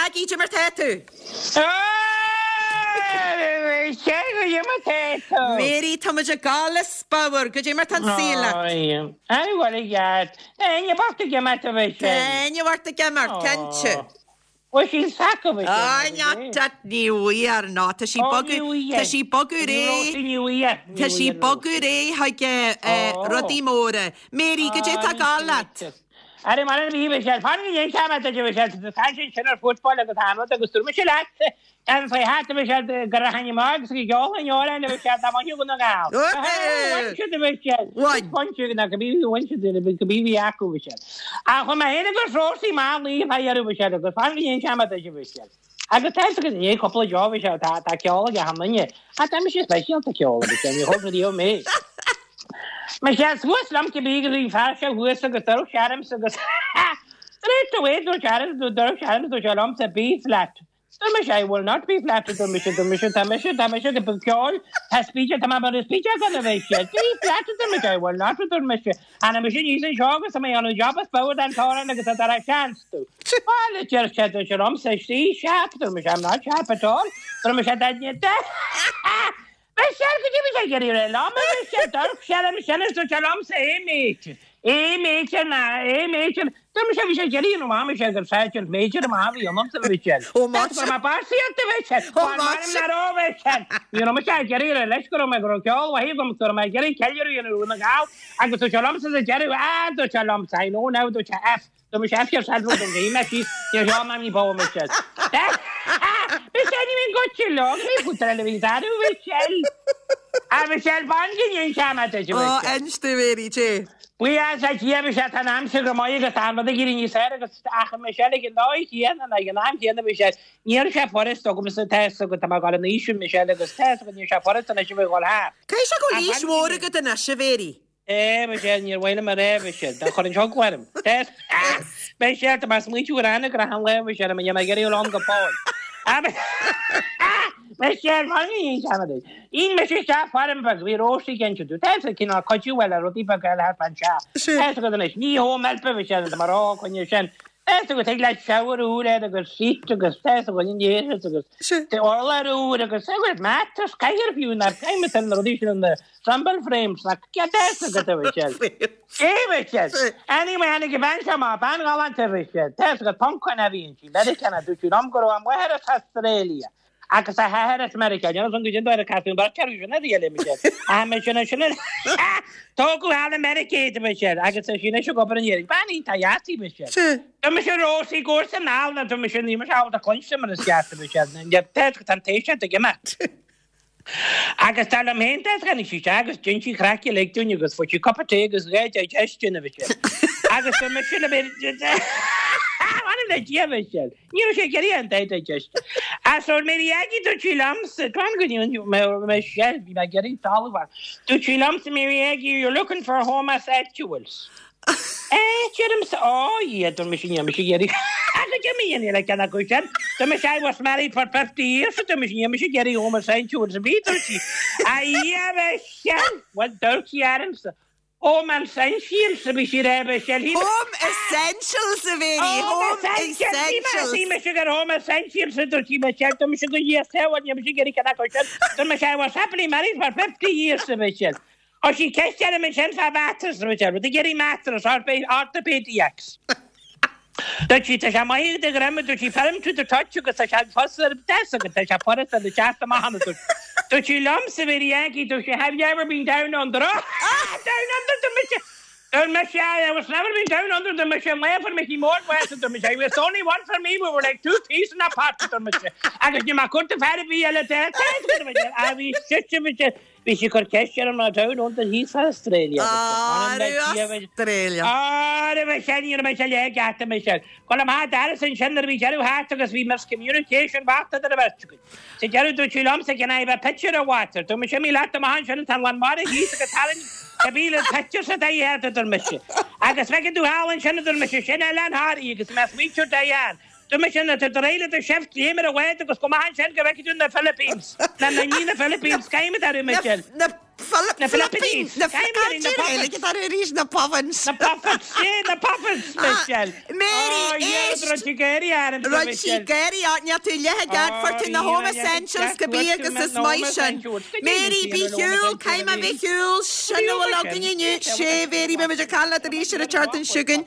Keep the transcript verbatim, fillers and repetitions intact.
Aggie, goidé mar tá tú? Mary, tá muid ag gabháil as bodhar, goidé mar tá an saol leat. Éinne bhart ag imeacht, cinnte. Ah, not ní bhfuair ná Tá sí bogadh Tá sí bogadh réidh Tá sí bogadh réidh chuig rudaí móra. Mary, goidé tá ag gabháil leat. Are mar a bhí sé fan dhéon sé sin ar football agus an agus dúirt mise leat an fé hat bhí sé gur haine má agus go geall an jóra bhí sé tá maith go na gáil. na go bí go bí bhí acu bhí sé. A chu mé héna gur frósaí má lí a bhí sé agus fan dhéon sé bhí sé. Agus tá go ní cúpla jo bhí sé tá tá ceol ag an duine. A tá sé speisialta ceol bhí sé ní thug mé. Me sé suas lam go bí go bhí fear se thuas agus dúirt sé orm agus Straight away dúirt sé orm dúirt sé orm dúirt sé liomsa be flat. Dúirt mise I will not be flat dúirt mise dúirt mise tá mise tá mise go ceol tá speech tá mar speech gan a bheith sé. Be flat dúirt mise I will not dúirt mise. Anna mise níos an seo agus mé an job is bád an táran agus tá a chance tú. Well deir sé dúirt sé liomsa sí sharp dúirt mise I'm not sharp at all. Dúirt mise that Michelle, go dtí sé gur lá sé dúirt sé orm sin dúirt sé liomsa A major. A major na A major. Dúirt mise bhí sé ag iarraidh nó mise gur sergeant major amach bhí ionamsa Michelle. Ó maith. Mar básaíocht a Michelle. Ó maith. Mar ó Michelle. Ní raibh mise ag iarraidh leis go raibh mé go raibh ceol mhaith agam go raibh mé ag iarraidh ceiliúradh a dhéanamh na Gall agus dúirt sé liomsa sa deireadh ah dúirt sé liomsa I know now dúirt sé F. Dúirt mise F yourself dúirt mise mé síos níor sheol mé ní bó Michelle. Michelle ní bhíonn goitse leo ní futar eile bhí darú Michelle. A Michelle fan go ndéan sé mar Ó inis domh Mary J. Buíochas le Dia Michelle tá an aimsir go maith agus tá an rud ag éirí níos fearr agus ach Michelle ag an dóigh chéanna ag an am chéanna Michelle níl sé furast agamsa tá a fhios agat tá mé ag dul in aois Michelle agus tá a fhios agat níl sé furast anois a bheith ag dul thart. Caithfidh sé go bhfuil aois mhór agat anois a Mhary. É Michelle níor mhaith liom a rá Michelle dá chuir an sioc orm. Michelle tá mé ag smaointiú ar aithne go raibh an lá Michelle a mbeidh mé ag iarraidh lom go fóill. Michelle fan go ndéan sé mar Ín mise isteach feirm bheag bhí Róisí cinnte tú tá cineál cuidiú eile rudaí beaga eile thart anseo. Tá a fhios agat anois ní home help a Michelle tá mar á coinne sin. Tá a fhios agat tig leat shower úr air agus seat agus tá a fhios agat an dhéarfas agus urlár úr agus tá a fhios agat mattress cathaoir fiú ná caithfidh mé na rudaí sin na rumble frames na tá a fhios agat a Michelle. É Michelle. Anyway tháinig an bhean seo amach bean ghalánta a Michelle. Tá a fhios agat Poncán a bhí inti Meiriceánach dúirt sí liom go raibh a máthair as Australia. Agus a hathair as Meiriceá Níl an go dtí caithfidh an bheirt acu sin a riail Michelle. Ah Michelle sin Tógadh thall i Meiriceá iad Michelle agus tá sí anois ag obair in Éirinn. Bean iontach dheas í Michelle. Tá mise Rósaí gcúrsa anall tá mise ní mise ábalta cluinstin mar is ceart Michelle. Tá an t-éisteacht ag imeacht. Agus tá liom féin tá tháinig sí isteach agus dhein sí craic uilig dúinn agus fuair sí cupa tae agus dhá digestion a Michelle. Agus tá mise le M'anam le Dia Michelle. Ní raibh sé ag iarraidh an digestion. Ah so Mary Aggie dúirt sí liomsa Tuan go Michelle bhí mé ag iarraidh talamh Dúirt sí liomsa Mary Aggie you're looking for homosexuals. Eh deirimse ó yeah dúirt mise níl mise ag iarraidh Agus dúirt mé níl ceann acu sin. Dúirt mise I was married for fifty years dúirt mise níl mise ag iarraidh homosexuals a bhí dúirt sí. A Dhia Michelle Well dúirt sí ormsa. Home essentials a bhí sí rá Michelle. Home essentials a Mhary, home essentials. Bhí mise gur home essentials a dúirt sí Michelle dúirt mise go Dhia sábháil níl mise ag iarraidh ceann acu sin. Dúirt mise I was happily married for fifty years a Michelle. Ó sí ceist orm ansin fá mattress a Michelle, rud ag iarraidh mattress orthopedics. Dúirt sí tá sé maith do dhroim dúirt sí firm to the touch agus tá sé fos ar deas agus tá sé furast ar na teacht amach ann dúirt. Dúirt sí liomsa Mary Aggie dúirt sí have you ever been down under? Ah down under dúirt mise. Dúirt mise I was never been down under dúirt mise an lá a fuair Mickey Mór bás dúirt mise it was only one for me we were like two peas in a pod dúirt mise agus ní maith cúrta fear a bhí eile de a bhí sise mise Bhí sí ag cur ceist ar an mná down under thíos fa Australia. Australia. Á, raibh a sin, ní raibh mise le geata Michelle. Go raibh maith agat ansin nuair a bhí deireadh thart agus bhí miscommunication bocht idir an bheirt againn. Sa deireadh dúirt sí liomsa can I have a pitcher of water? Dúirt mise imigh leat amach ansin tá an lán mara thíos agus tarraing cibé le pitcher sa dtaobh thart a dúirt mise. Agus feicfidh tú thall ansin a dúirt mise sin Oileán Thoraí agus mé smaointiú Diane. Dúirt mise nuair atá tú réidh le do shift léim ar an bhád agus gabh amach ansin go bhfeicfidh tú na Philippines. Na na ní na Philippines, caithfidh mé a Michelle. Na Na Philippines. Na Philippines. Na arís na Puffins. Na Puffins, sé na Puffins, Michelle. Mary, éist. Rud sí géirí arm, Rud sí géirí níl tú le gad fuair tú na Home Essentials go bí agus is maith sin. Mary bí shiúl, caithfidh mé bheith shiúl, sin a bhfuil againn inniu, sé Mary beimid ag caint leat arís ar an tseachtain seo chugainn.